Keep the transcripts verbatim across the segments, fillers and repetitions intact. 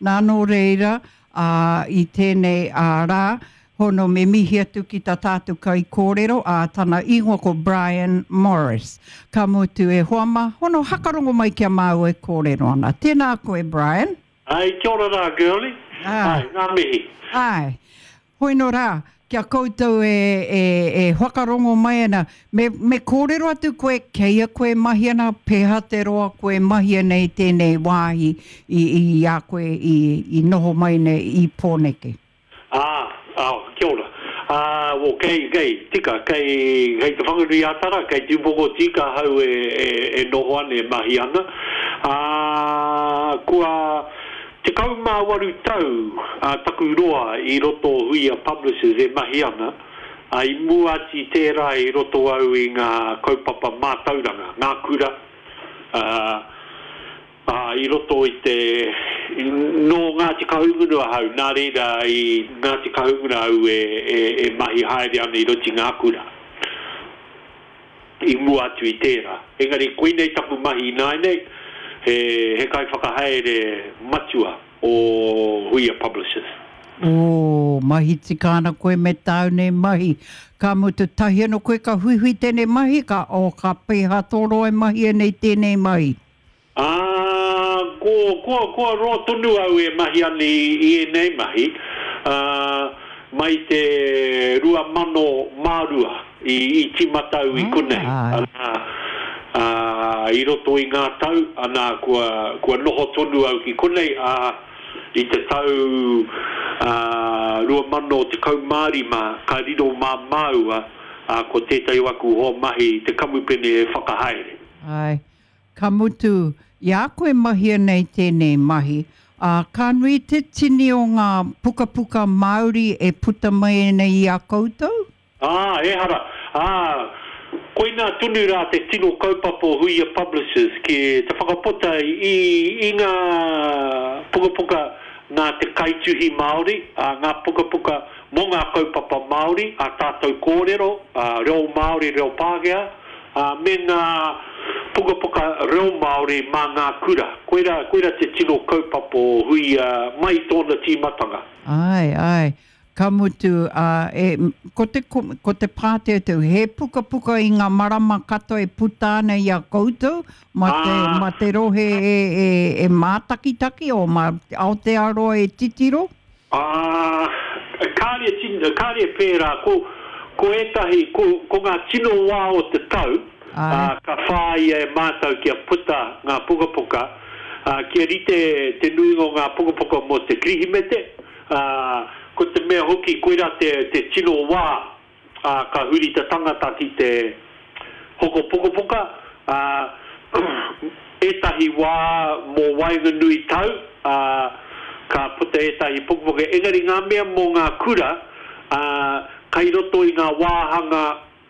Nā nō reira, ā, i tēnei ā, rā, hono me mihi atu ki tā tātou kaikōrero, ā, tana ingoa ko Brian Morris. Ka mutu e hoa mā, hono hakarongo mai ki a māua e kōrero ana. Tēnā koe, Brian. Ai, kia ora rā, girlie. Āe. Ai, ngā mihi. Āe. Hoi nō rā, ki a koutou e, e, e whakarongo mai ana, me, me kōrero atu koe, kei a koe mahi ana, pēhea te roa koe mahi ana i tēnei wāhi i, i a koe i, i noho mai nei i Pōneke. Ā, ā, kia ora. Ā, o, kei, kei, tika, kei, kei Te Whanganui-a-Tara, kei Te Upoko Tika ahau e, e, e noho ana, e mahi ana. Ā, kua tekau mā waru tau a taku roa i roto o Huia Publishers e mahi ana, ā, i mua atu i tērā i roto au i ngā kaupapa mātauranga, ngā kura, ā, Ā, i roto i te, nō Ngāti Kahungunu ahau, nā reira i Ngāti Kahungunu au e, e, e mahi haere ana i roto i ngā kura, i mua atu i tērā. Engari koinei taku mahi ināianei, he, he kaiwhakahaere matua o Huia Publishers. Ō, mahi tika ana koe me tāu nei mahi. Ka mutu tahi anō koe ka huihui tēnei mahi, ka, oh, ka pēhea tō roa e mahia nei tēnei mahi? Ā, ko, kua, kua roa tonu au e mahi ana i, i ēnei mahi, ā, mai te rua mano mā rua i, i tīmata au i konei, ana, ā, i roto i ngā tau, ana, kua, kua noho tonu au ki konei, ā, i te tau, ā, rua mano tekau mā rima ka riro mā māua, ā, ko tētahi o aku hoa mahi te kamupene e whakahaere. Āe. Ka mutu, i a koe mahia nei tēnei mahi, ā, ka nui te tini o ngā pukapuka Māori e puta mai ana i a koutou? Ā, ehara, ā, koinā tonu rā te tino kaupapa o Huia Publishers ki te whakaputa i, i ngā pukapuka nā te kaituhi Māori, ā, ngā pukapuka mō ngā kaupapa Māori, ā tātou kōrero, ā, reo Māori, reo Pākehā, ā, me ngā pukapuka reo Māori mā ngā kura. Koirā, koirā te tino kaupapa o Huia mai i tōna tīmatanga. Āe, āe. Ka mutu, ā, e, ko te, ko te pāteuteu, he pukapuka i ngā marama katoa e puta ana i a koutou, mā te, Ā. mā te rohe e, e, e mātakitaki, o mā Aotearoa e titiro? Ā, kāre e kāre e pērā, ko, ko ētahi, ko, ko ngā tino wā o te tau, ā, ka whāia e mātou kia puta ngā pukapuka, ā, kia rite te nuinga o ngā pukapuka mō te Kirihimete, ā, ko te mea hoki koirā te, te tino wā, ā, ka huri te tangata ki te hoko pukapuka, ā, ētahi wā mō waenganui tau, ā, ka puta ētahi pukapuka, engari ngā mea mō ngā kura, ā, kai roto i ngā wāhanga,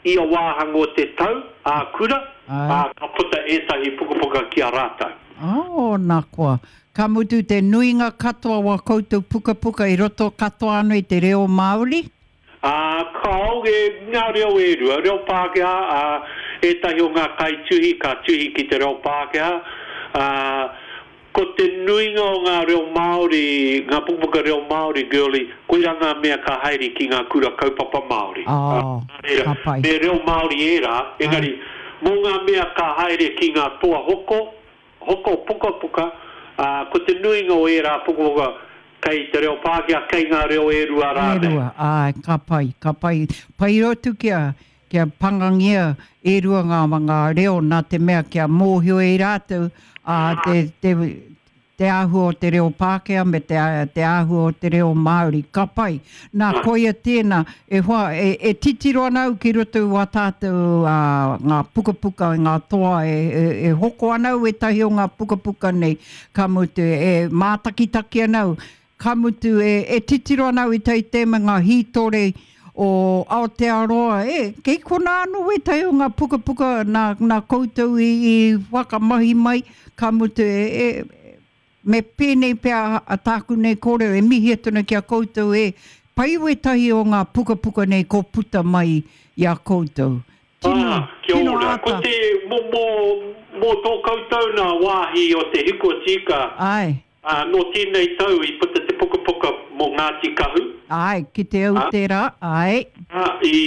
ia wāhanga o te tau, ā kura, ā, ka puta ētahi pukapuka ki a rātou. Oh, nā koa. Ka mutu te nuinga katoa o ā koutou pukapuka i roto katoa anō i te reo Māori? Ā, kāore ngā reo e rua, reo Pākehā, ā, ētahi o ngā kaituhi ka tuhi ki te reo Pākehā, ā, ko te nuinga o ngā reo Māori, ngā pukapuka reo Māori, girlie, koirā ngā mea ka haere ki ngā kura kaupapa Māori. Ā, Oh, nā reira, ka pai. me reo Māori ērā, engari, mō ngā mea ka haere ki ngā toa hoko, hoko pukapuka, ā, ko te nuinga o ērā pukapuka kei te reo Pākehā, kei ngā reo e rua E rānei. rua, āe, ka pai, ka pai. Pai rotu kia, kia pangangia e rua ngā, ngā reo nā te mea kia mōhio e rātou, ā, te, te, te āhua o te reo Pākehā me te, te āhua o te reo Māori. Ka pai. Nā, koia tēnā, e hoa, e, e titiro ana au ki roto i wā tātou ā, ngā pukapuka, ngā toa e, e, e hoko ana au ētahi o ngā pukapuka nei, ka mutu, e mātakitaki ana au, ka mutu, e, e titiro ana au i tai te me ngā hītore o Aotearoa, e, kei konā anō wētahi o ngā pukapuka nā, nā koutou i, i whakamahi mai, ka mutu, e, e, me pēnei pea a tāku nei kōrero, e mihi atu ana ki a koutou e, pai wētahi o ngā pukapuka nei ko puta mai i a koutou. Tino, Ā, kia tino ora. Ko āta. te, mō, mō, mō tō koutou nā wāhi o te hiko tika, Āe. Ā, nō tēnei tau i puta te pukapuka mō Ngāti Kahu. Āe, ki te au tērā, āe. Ā, i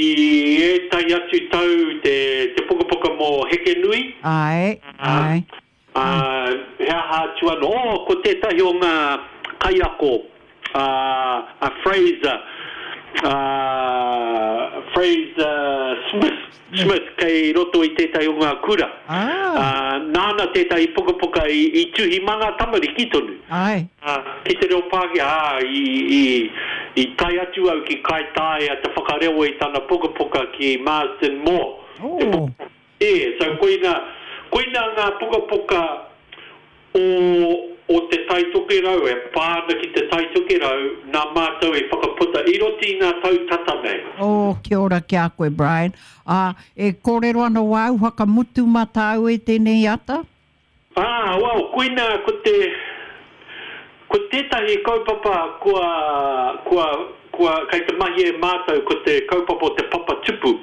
ētahi atu tau te, te pukapuka mō Hekenui. Āe, āe. Ā, he aha atu anō? Oh, ko tētahi o ngā kaiako, ā, a Fraser, ā, Fraser Smith, Smith kei roto i tētahi o ngā kura. Ah. Ā, nāna tētahi pukapuka i, i tuhi mā ngā tamariki tonu. Āe. Ā, ki te reo Pākehā, ā, i, i, i tae atu au ki Kaitaia te whakarewa i tana pukapuka ki Marsden Moore. Oh. Te pukapuka. E, so koina, koina ngā pukapuka o, o Te Tai Tokerau, e pā ana ki Te Tai Tokerau, nā mātou i whakaputa i roto i ngā tau tata nei. Oh, kia ora ki a koe, Brian. Ā, e kōrero ana wāu whakamutu mā tāu e tēnei ata? Ā, well, koina ko te, ko tētahi kaupapa kua, kua, kua, kei te mahi e mātou ko te kaupapa o te papa tupu.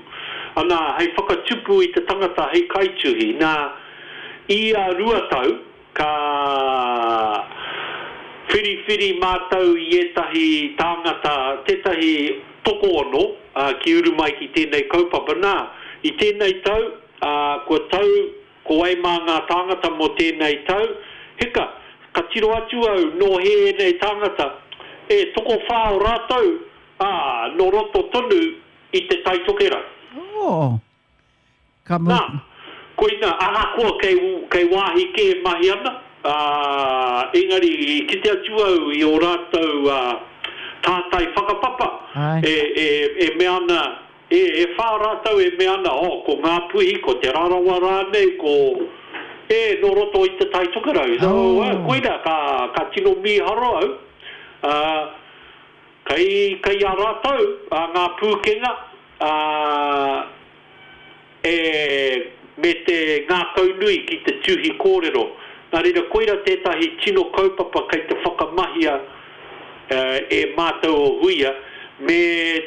Ana, hei whakatupu i te tangata hei kaituhi. Nā, ia rua tau, ka whiriwhiri mātou i ētahi tāngata, tētahi tokoono, ā, ki uru mai ki tēnei kaupapa. Nā, i tēnei tau, ā, kua tau ko wai mā ngā tāngata mō tēnei tau, hika, ka tiro atu au nō hē ēnei tāngata, e, tokowhā o rātou, ā, nō roto tonu i Te Tai Tokerau. Oh. Ka Nā, koina, ahakoa kei, kei wāhi kē e mahi ana, ā, engari i kite atu au i ō rātou, ā, tātai whakapapa, e, e, e mea ana, e, e whā rātou e mea ana, oh, ko Ngāpuhi, ko Te Rarawa rānei, ko, e, nō roto i Te Tai Tokerau. So, Oh. ā, koina, ka, ka tino mīharo au, ā, kei, kei a rātou, ā, ngā pūkenga, ā, e, me te ngākaunui ki te tuhi kōrero. Nā reira, koira tētahi tino kaupapa kei te whakamahia e mātou o Huia me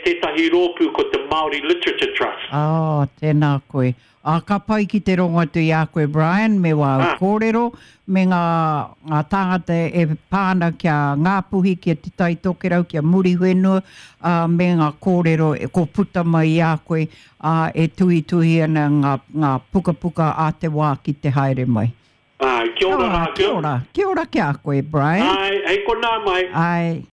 tētahi rōpū ko te Māori Literature Trust. Oh, tēnā koe. Ā, ka pai ki te rongo atu i a koe, Brian, me wāu Ah. kōrero, me ngā, ngā tāngata e pā ana ki a Ngāpuhi, ki a Te Tai Tokerau, ki a Muriwhenua, ā, me ngā kōrero e, ko puta mai i a koe, ā, e tuhituhi ana ngā, ngā pukapuka a te wā ki te haere mai. Āe, kia ora rā, Kia ora, kia ora ki a koe, Brian. Āe, hei konā mai. Āe.